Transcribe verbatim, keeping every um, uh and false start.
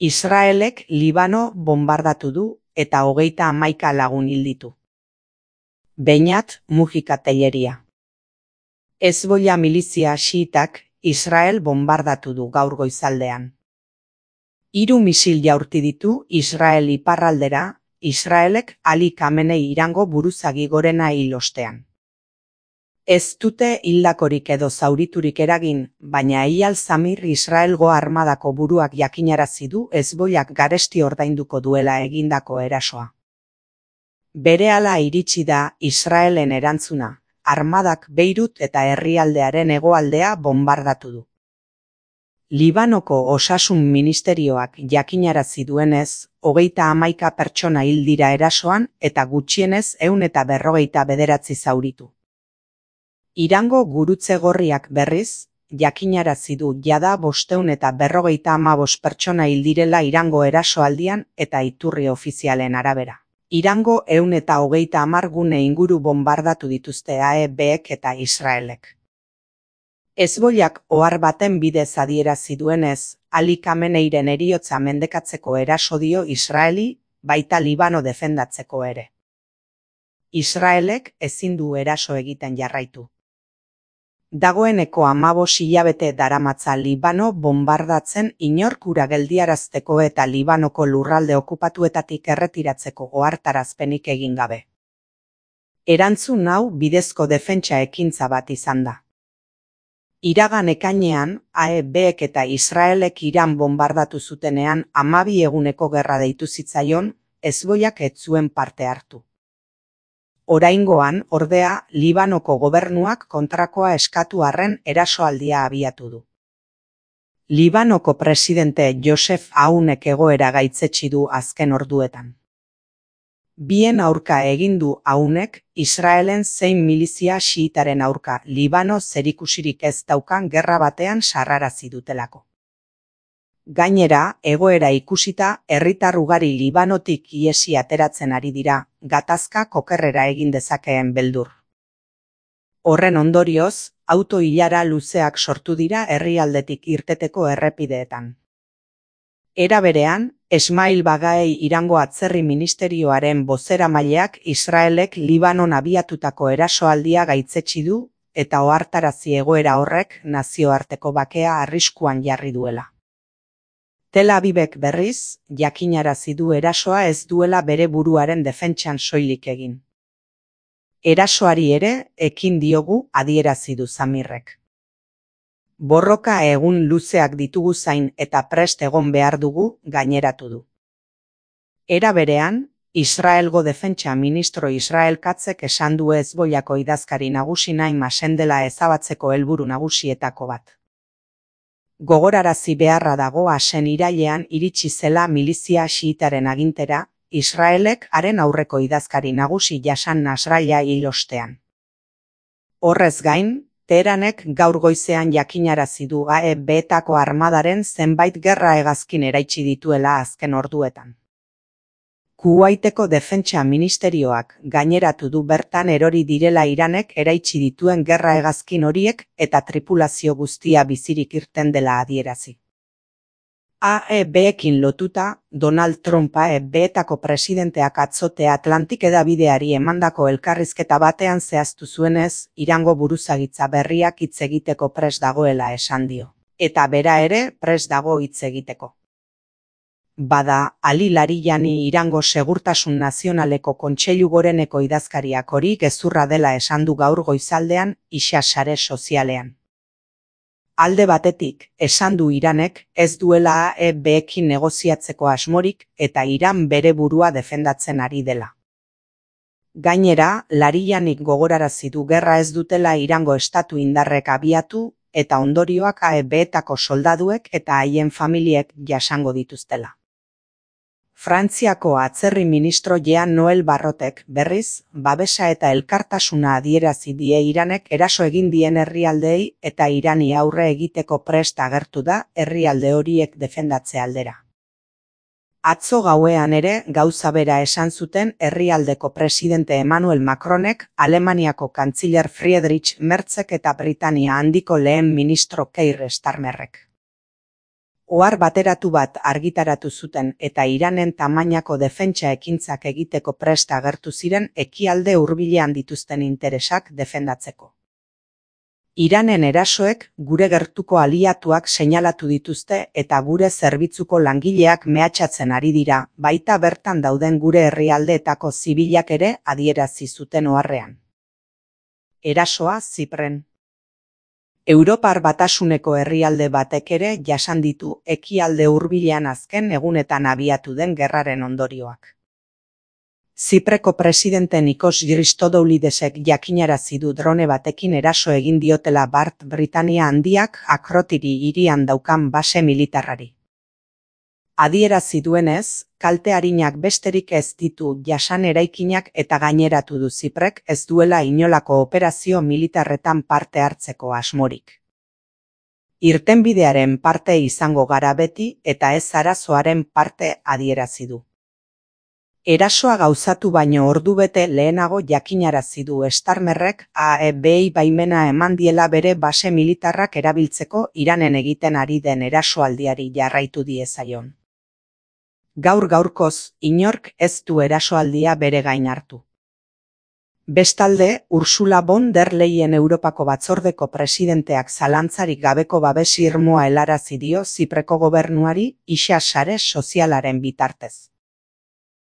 Israelek Libano bonbardatu du eta hogeita hamaika lagun hil ditu. Beñat Mujika Telleria. Hezbollah milizia xiitak Israel bonbardatu du gaur goizaldean. Hiru misil jaurti ditu Israel iparraldera, Israelek Ali Khamenei Irango buruzagi gorena hil ostean. Ez dute hildakorik edo zauriturik eragin, baina Eyal Zamir Israelgo armadako buruak jakinarazi du Hezbollak garesti ordainduko duela egindako erasoa. Berehala iritsi da Israelen erantzuna, armadak Beirut eta herrialdearen hegoaldea bonbardatu du. Libanoko osasun ministerioak jakinarazi duenez, hogeita hamaika pertsona hil dira erasoan eta gutxienez ehun eta berrogeita bederatzi zauritu. Irango gurutze gorriak berriz, jakinarazi du jada bostehun eta berrogeita hamabost pertsona hil direla Irango erasoaldian eta iturri ofizialen arabera. Irango ehun eta hogeita hamar gune inguru bonbardatu dituzte A E Bek eta Israelek. Hezbollak ohar baten bidez adierazi duenez, Ali Khameneiren heriotza mendekatzeko eraso dio Israeli, baita Libano defendatzeko ere. Israelek ezin du eraso egiten jarraitu. Dagoeneko hamabost hilabete daramatza Libano bonbardatzen inork hura geldiarazteko eta Libanoko lurralde okupatuetatik erretiratzeko ohartarazpenik egin gabe. Erantzun hau bidezko defentsa ekintza bat izan da. Iragan ekainean, A E Bek eta Israelek Iran bonbardatu zutenean hamabi eguneko gerra deitu zitzaion, Hezbollak ez zuen parte hartu. Oraingoan, ordea, Libanoko gobernuak kontrakoa eskatu arren erasoaldia abiatu du. Libanoko presidente Joseph Aunek egoera gaitzetsi du azken orduetan. Bien aurka egin du Aunek, Israelen zein milizia xiitaren aurka Libano zerikusirik ez daukan gerra batean sarrarazi dutelako. Gainera, egoera ikusita, herritar ugari Libanotik ihesi ateratzen ari dira, gatazka okerrera egin dezakeen beldur. Horren ondorioz, auto-ilara luzeak sortu dira herrialdetik irteteko errepideetan. Era berean, Esmail Bagaei Irango atzerri ministerioaren bozeramaileak Israelek Libanon abiatutako erasoaldia gaitzetsi du eta ohartarazi egoera horrek nazioarteko bakea arriskuan jarri duela. Tel Avivek berriz, jakinarazi du erasoa ez duela bere buruaren defentsan soilik egin. Erasoari ere, ekin diogu adierazi du Zamirrek. Borroka egun luzeak ditugu zain eta prest egon behar dugu gaineratu du. Era berean, Israelgo defentsa ministro Israel Katzek esan du Hezbollako idazkari nagusi Naim Asendela ezabatzeko helburu nagusietako bat. Gogorarazi beharra dago Asen irailean iritsi zela milizia xiitaren agintera, Israelek haren aurreko idazkari nagusi Jasan Nasrallah hil ostean. Horrez gain, Teheranek gaur goizean jakinarazi du A E Betako armadaren zenbait gerra hegazkin eraitsi dituela azken orduetan. Kuwaiteko defentsa ministerioak gaineratu du bertan erori direla Iranek eraitsi dituen gerra hegazkin horiek eta tripulazio guztia bizirik irten dela adierazi. A E Bekin lotuta, Donald Trump A E Betako presidenteak atzote Atlantik hedabideari emandako elkarrizketa batean zehaztu zuenez, Irango buruzagitza berriak hitz egiteko prest dagoela esan dio, eta bera ere prest dago hitz egiteko. Bada, Ali Larijani Irango Segurtasun Nazionaleko Kontseilu Goreneko idazkariak hori gezurra dela esan du gaur goizaldean Ixa sare sozialean. Alde batetik, esan du Iranek ez duela A E Bekin negoziatzeko asmorik eta Iran bere burua defendatzen ari dela. Gainera, Larijanik gogorarazi du gerra ez dutela Irango estatu indarrek abiatu eta ondorioak A E Betako soldaduek eta haien familiek jasango dituztela. Frantziako atzerri ministro Jean Noel Barrotek berriz, babesa eta elkartasuna adierazi die Iranek eraso egin dien herrialdeei eta Irani aurre egiteko prest agertu da herrialde horiek defendatze aldera. Atzo gauean ere gauza bera esan zuten herrialdeko presidente Emmanuel Macronek, Alemaniako kantziler Friedrich Merzek eta Britania handiko lehen ministro Keir Starmerrek. Ohar bateratu bat argitaratu zuten eta Iranen tamainako defentsa ekintzak egiteko prest agertu ziren ekialde hurbilean dituzten interesak defendatzeko. Iranen erasoek gure gertuko aliatuak seinalatu dituzte eta gure zerbitzuko langileak mehatxatzen ari dira, baita bertan dauden gure herrialdeetako zibilak ere adierazi zuten oharrean. Erasoa Zipren. Europar Batasuneko herrialde batek ere jasan ditu ekialde hurbilean azken egunetan abiatu den gerraren ondorioak. Zipreko presidente Nikos Christodoulidesek jakinarazi du drone batekin eraso egin diotela Bart Britania Handiak Akrotiri hirian daukan base militarrari. Adierazi duenez, kalte arinak besterik ez ditu jasan eraikinak eta gaineratu du Ziprek ez duela inolako operazio militarretan parte hartzeko asmorik. Irtenbidearen parte izango gara beti eta ez arazoaren parte adierazi du. Erasoa gauzatu baino ordubete lehenago jakinarazi du Starmerrek A E Bei baimena eman diela bere base militarrak erabiltzeko Iranen egiten ari den erasoaldiari jarraitu diezaion. Gaur gaurkoz, inork ez du erasoaldia bere gain hartu. Bestalde, Ursula von der Leyen Europako Batzordeko presidenteak zalantzarik gabeko babes irmoa helarazi dio Zipreko gobernuari isa sare sozialaren bitartez.